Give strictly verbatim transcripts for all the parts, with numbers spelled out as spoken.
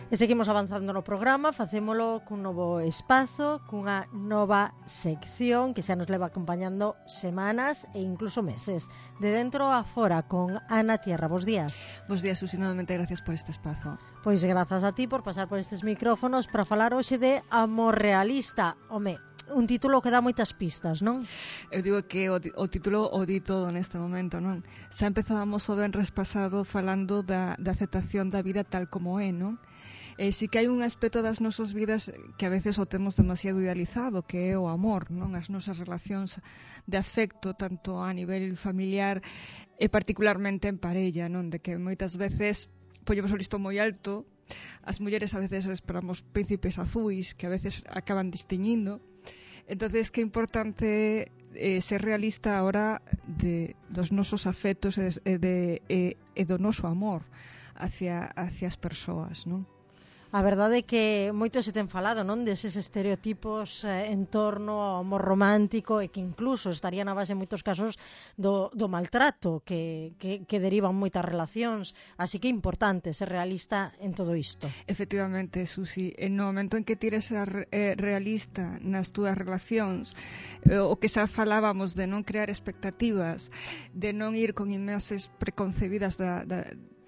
E seguimos avanzando no programa, facémolo cun novo espazo, cunha nova sección que xa nos leva acompañando semanas e incluso meses. De dentro a fora, con Ana Tierra. Bos días. Bos días, Susi, novamente gracias por este espazo. Pois grazas a ti por pasar por estes micrófonos para falar hoxe de amor realista. Home, un título que dá moitas pistas, non? Eu digo que o, o título o di todo neste momento, non? Xa empezábamos o venres pasado falando da, da aceptación da vida tal como é, non? E si que hai un aspecto das nosas vidas que a veces o temos demasiado idealizado, que é o amor, non? As nosas relacións de afecto, tanto a nivel familiar e particularmente en parella, non? De que moitas veces poñemos o listón moi alto, as mulleres a veces esperamos príncipes azuis que a veces acaban disteñindo. Entonces, que importante eh, ser realista ahora de dos nosos afectos e de, de, de, de do noso amor hacia, hacia as persoas, non? A verdade é que moito se ten falado, non, deses estereotipos eh, en torno ao amor romántico e que incluso estaría na base en moitos casos do, do maltrato que, que, que derivan moitas relacións. Así que é importante ser realista en todo isto. Efectivamente, Susi, no momento en que tires a eh, realista nas túas relacións, eh, o que xa falábamos de non crear expectativas, de non ir con imaxes preconcebidas da, da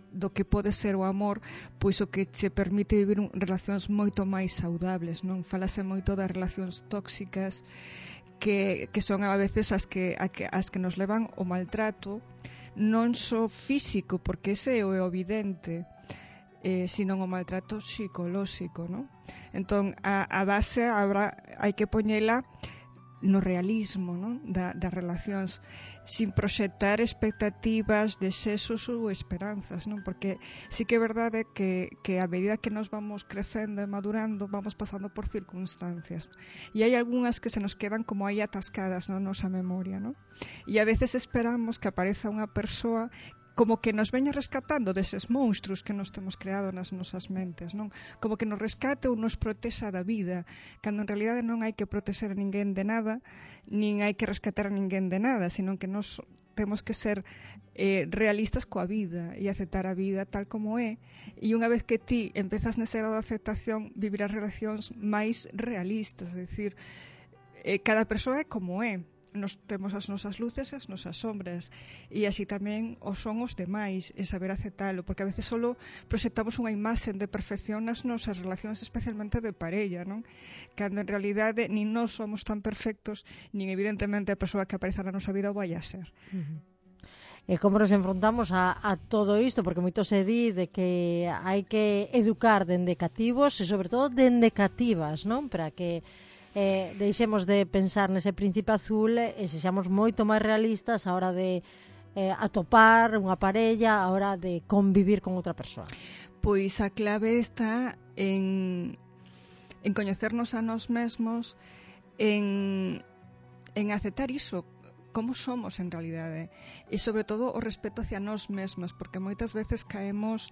do que pode ser o amor, pois o que che permite vivir un, relacións moito máis saudables, non? Falase moito das relacións tóxicas que, que son a veces as que, a que, as que nos levan ao maltrato, non só físico, porque ese é o evidente, eh, sino o maltrato psicolóxico, non? Entón, a, a base habrá, hai que poñela no realismo, non? Da, das relacións, sin proxectar expectativas, desexos ou esperanzas, non? Porque sí que é verdade que, que a medida que nos vamos crecendo e madurando vamos pasando por circunstancias e hai algunhas que se nos quedan como aí atascadas na nosa memoria, non? E a veces esperamos que apareza unha persoa como que nos veña rescatando deses monstruos que nos temos creado nas nosas mentes, non? Como que nos rescate ou nos protexa da vida, cando en realidade non hai que protexer a ninguén de nada, nin hai que rescatar a ninguén de nada, sino que nos temos que ser eh, realistas coa vida e aceptar a vida tal como é, e unha vez que ti empezas nese grado de aceptación, vivir as relacións máis realistas, é dicir, eh, cada persoa é como é. Nos temos as nosas luces e as nosas sombras e así tamén o son os demais e saber aceptalo, porque a veces solo proxectamos unha imaxen de perfección nas nosas relacións, especialmente de parella, non? Cando en realidade nin nós somos tan perfectos, nin evidentemente a persoa que apareza na nosa vida o vai a ser. Uh-huh. E como nos enfrontamos a, a todo isto, porque moito se di de que hai que educar dende cativos e sobre todo dende cativas, non? Para que Eh, deixemos de pensar nese príncipe azul e sexamos moito máis realistas a hora de eh, atopar unha parella, a hora de convivir con outra persoa. Pois a clave está en, en coñecernos a nós mesmos, en, en aceptar iso, como somos en realidade, e sobre todo o respeto hacia nós mesmos, porque moitas veces caemos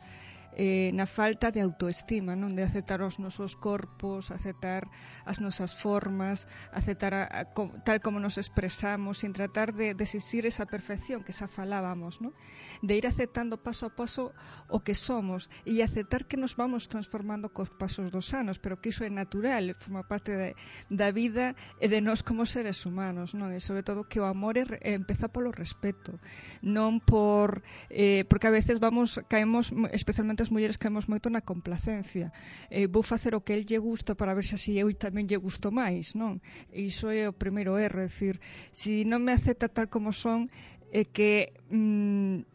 eh, na falta de autoestima, non? De aceptar os nosos corpos, aceptar as nosas formas, aceptar a, a, co, tal como nos expresamos, sin tratar de, de exigir esa perfección que xa falábamos, non? De ir aceptando paso a paso o que somos e aceptar que nos vamos transformando cos pasos dos anos, pero que iso é natural, forma parte de, da vida e de nós como seres humanos, non? E sobre todo que o amor é, é, empeza polo respeto, non por eh, porque a veces vamos caemos, especialmente as mulleres caemos moito na complacencia, eh, vou facer o que el lle gusta para ver se así eu tamén lle gusto máis, non? E iso é o primeiro erro, é dicir, se non me acepta tal como son, é que mm,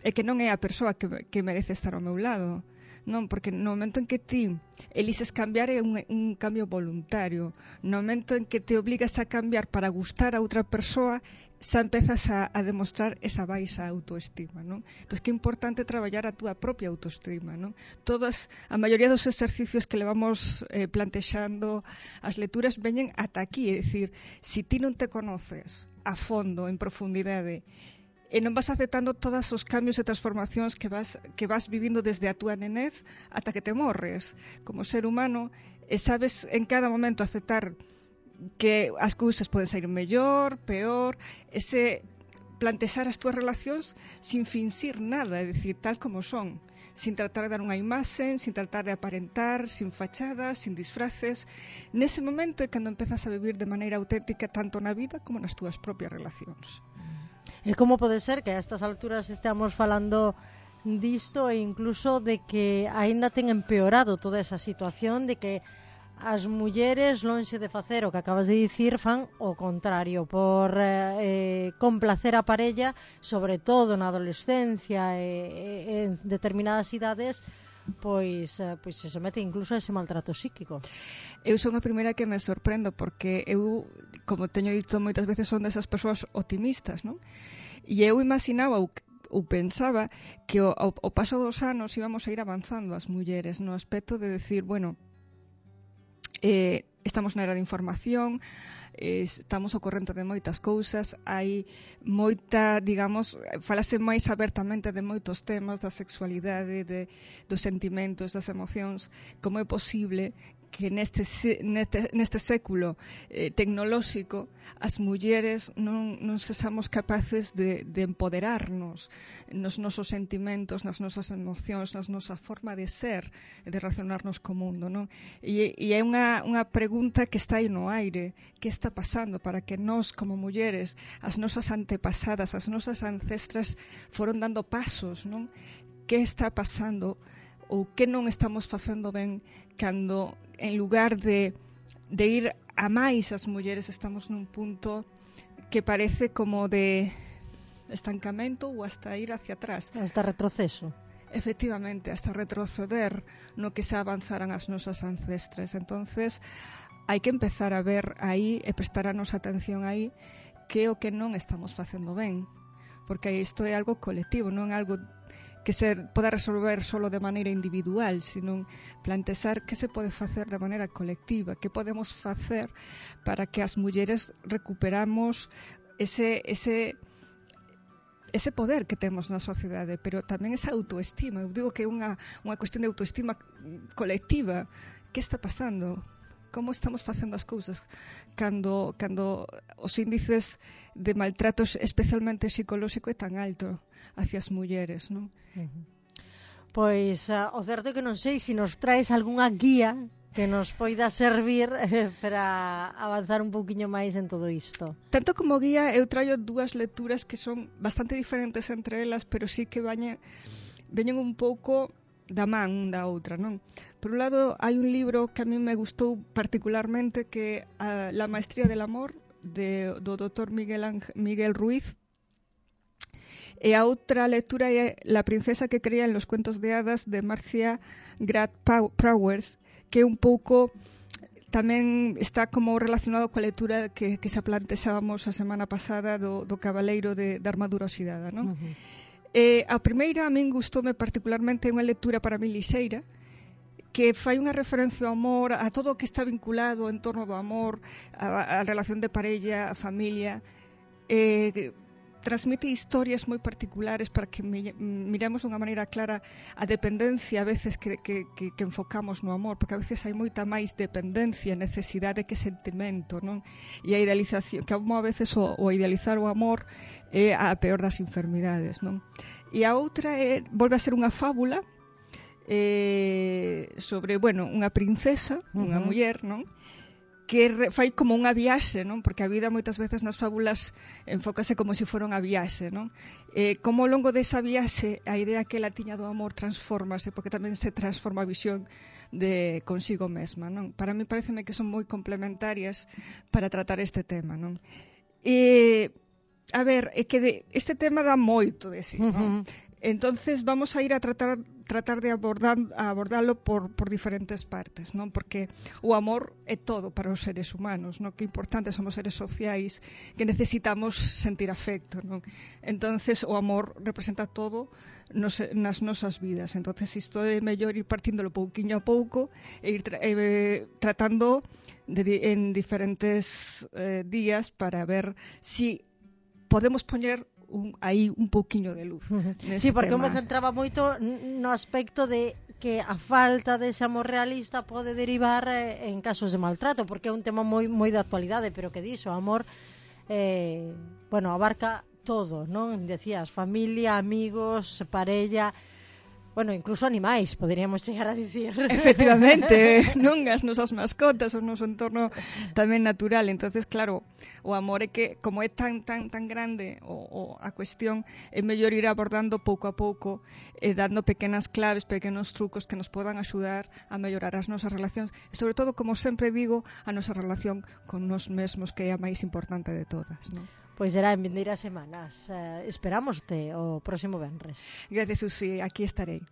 é que non é a persoa que, que merece estar ao meu lado, non? Porque no momento en que ti elises cambiar é un, un cambio voluntario, no momento en que te obligas a cambiar para gustar a outra persoa, xa empezas a, a demostrar esa baixa autoestima, non? Entón, que é importante traballar a túa propia autoestima, non? Todas, a maioría dos exercicios que levamos eh, plantexando, as lecturas veñen ata aquí, é dicir, se ti non te conoces a fondo, en profundidade, e non vas aceptando todos os cambios e transformacións que vas, que vas vivindo desde a túa nenez ata que te morres como ser humano, e sabes en cada momento aceptar que as cousas poden sair mellor, peor, ese plantexar as túas relacións sin finxir nada, é dicir, tal como son, sin tratar de dar unha imaxe, sin tratar de aparentar, sin fachadas, sin disfraces. Nese momento é cando empezas a vivir de maneira auténtica tanto na vida como nas túas propias relacións. E como pode ser que a estas alturas estamos falando disto e incluso de que aínda ten empeorado toda esa situación de que as mulleres, lonxe de facer o que acabas de dicir, fan o contrario, por eh, complacer a parella, sobre todo na adolescencia e, e en determinadas idades, pois, eh, pois se somete incluso a ese maltrato psíquico. Eu son a primeira que me sorprendo, porque eu, como teño dito moitas veces, son desas persoas optimistas, non? E eu imaginaba ou ou pensaba que ao, ao paso dos anos íbamos a ir avanzando as mulleres no aspecto de decir, bueno, Eh, estamos na era de información, eh, estamos ao corrente de moitas cousas, hai moita, digamos, falase máis abertamente de moitos temas da sexualidade, de, dos sentimentos, das emocións. Como é posible que neste, neste, neste século eh, tecnolóxico as mulleres non, non sexamos capaces de, de empoderarnos nos nosos sentimentos, nas nosas emocións, nas nosa forma de ser, de relacionarnos co mundo, non? E, e é unha, unha pregunta que está aí no aire. Que está pasando para que nós, como mulleres, as nosas antepasadas, as nosas ancestras foron dando pasos, non? Que está pasando ou que non estamos facendo ben cando, en lugar de, de ir a máis as mulleres, estamos nun punto que parece como de estancamento ou hasta ir hacia atrás. Hasta retroceso. Efectivamente, hasta retroceder no que se avanzaran as nosas ancestras. Entonces, hai que empezar a ver aí e prestar a nosa atención aí que é o que non estamos facendo ben. Porque isto é algo colectivo, non é algo que se poda resolver solo de maneira individual, sino plantexar que se pode facer de maneira colectiva, que podemos facer para que as mulleres recuperamos ese, ese, ese poder que temos na sociedade, pero tamén esa autoestima. Eu digo que é unha, unha cuestión de autoestima colectiva. Que está pasando? Como estamos facendo as cousas cando, cando os índices de maltratos, especialmente psicolóxico, é tan alto hacia as mulleres, non? Uh-huh. Pois uh, o certo é que non sei se nos traes algunha guía que nos poida servir eh, para avanzar un pouquiño máis en todo isto. Tanto como guía, eu traio dúas lecturas que son bastante diferentes entre elas, pero sí que veñen, veñen un pouco da man un da outra, non? Por un lado, hai un libro que a mí me gustou particularmente, que é La maestría del amor, de, do doutor Miguel, Ang- Miguel Ruiz, e a outra lectura é La princesa que creía en los cuentos de hadas, de Marcia Grad Powers, que é un pouco tamén está como relacionado coa lectura que, que se plantexábamos a semana pasada do, do Cabaleiro de, de Armadura Oxidada, non? Uh-huh. Eh, a primeira a min gustoume particularmente, unha lectura para min lixeira, que fai unha referencia ao amor, a todo o que está vinculado en torno do amor, a, a relación de parella, a familia. Eh, transmite historias moi particulares para que mi, miremos de unha maneira clara a dependencia a veces que, que, que, que enfocamos no amor, porque a veces hai moita máis dependencia, necesidade que sentimento, non? E a idealización, que a veces o, o idealizar o amor é a peor das enfermidades, non? E a outra é, volve a ser unha fábula eh, sobre, bueno, unha princesa, unha uh-huh. muller, non? Que re, fai como unha viaxe, non? Porque a vida moitas veces nas fábulas enfócase como se fora unha viaxe, non? Eh, como ao longo desa viaxe a idea que ela tiña do amor transfórmase, porque tamén se transforma a visión de consigo mesma, non? Para mí pareceme que son moi complementarias para tratar este tema, non? E, a ver, é que de, este tema dá moito de sí, non? Uh-huh. Entonces vamos a ir a tratar tratar de abordar a abordarlo por por diferentes partes, non? Porque o amor é todo para os seres humanos, non? Que importante somos seres sociais que necesitamos sentir afecto, non? Entonces o amor representa todo nos, nas nosas vidas. Entonces isto é mellor ir partíndolo pouquiño a pouco e ir tra eh, tratando de, en diferentes eh, días para ver si podemos poñer un, aí un pouquiño de luz. Uh-huh. Sí, porque eu me centraba moito no aspecto de que a falta dese amor realista pode derivar eh, en casos de maltrato, porque é un tema moi moi de actualidade, pero que dixo, o amor eh, bueno, abarca todo, non? Decías, familia, amigos, parella, bueno, incluso animais, poderíamos chegar a dicir. Efectivamente, non as nosas mascotas, o noso entorno tamén natural. Entonces, claro, o amor é que, como é tan tan tan grande o, o a cuestión, é mellor ir abordando pouco a pouco, e dando pequenas claves, pequenos trucos que nos podan axudar a mellorar as nosas relacións, e sobre todo, como sempre digo, a nosa relación con nos mesmos, que é a máis importante de todas, non? Pois será en vindeiras semanas. Uh, esperámoste o próximo venres. Gracias, Susi, aquí estarei.